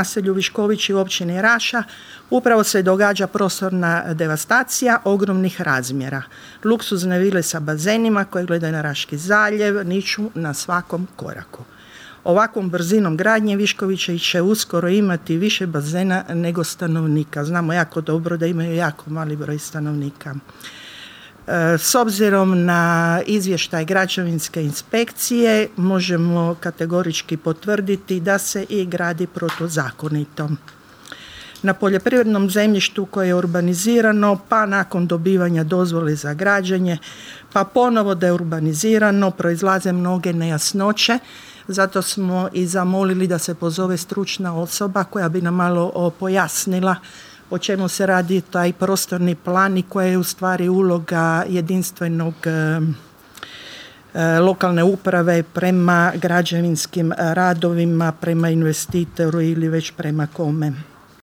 naselju Viškovići u općini Raša upravo se događa prostorna devastacija ogromnih razmjera. Luksuzne vile sa bazenima koje gledaju na Raški zaljev niču na svakom koraku. Ovakvom brzinom gradnje Viškovići će uskoro imati više bazena nego stanovnika. Znamo jako dobro da imaju jako mali broj stanovnika. S obzirom na izvještaj građevinske inspekcije možemo kategorički potvrditi da se i gradi protuzakonito. Na poljoprivrednom zemljištu koje je urbanizirano, pa nakon dobivanja dozvole za građenje, pa ponovo da je urbanizirano, proizlaze mnoge nejasnoće. Zato smo i zamolili da se pozove stručna osoba koja bi nam malo pojasnila o čemu se radi taj prostorni plan i koja je u stvari uloga jedinstvenog lokalne uprave prema građevinskim radovima, prema investitoru ili već prema kome.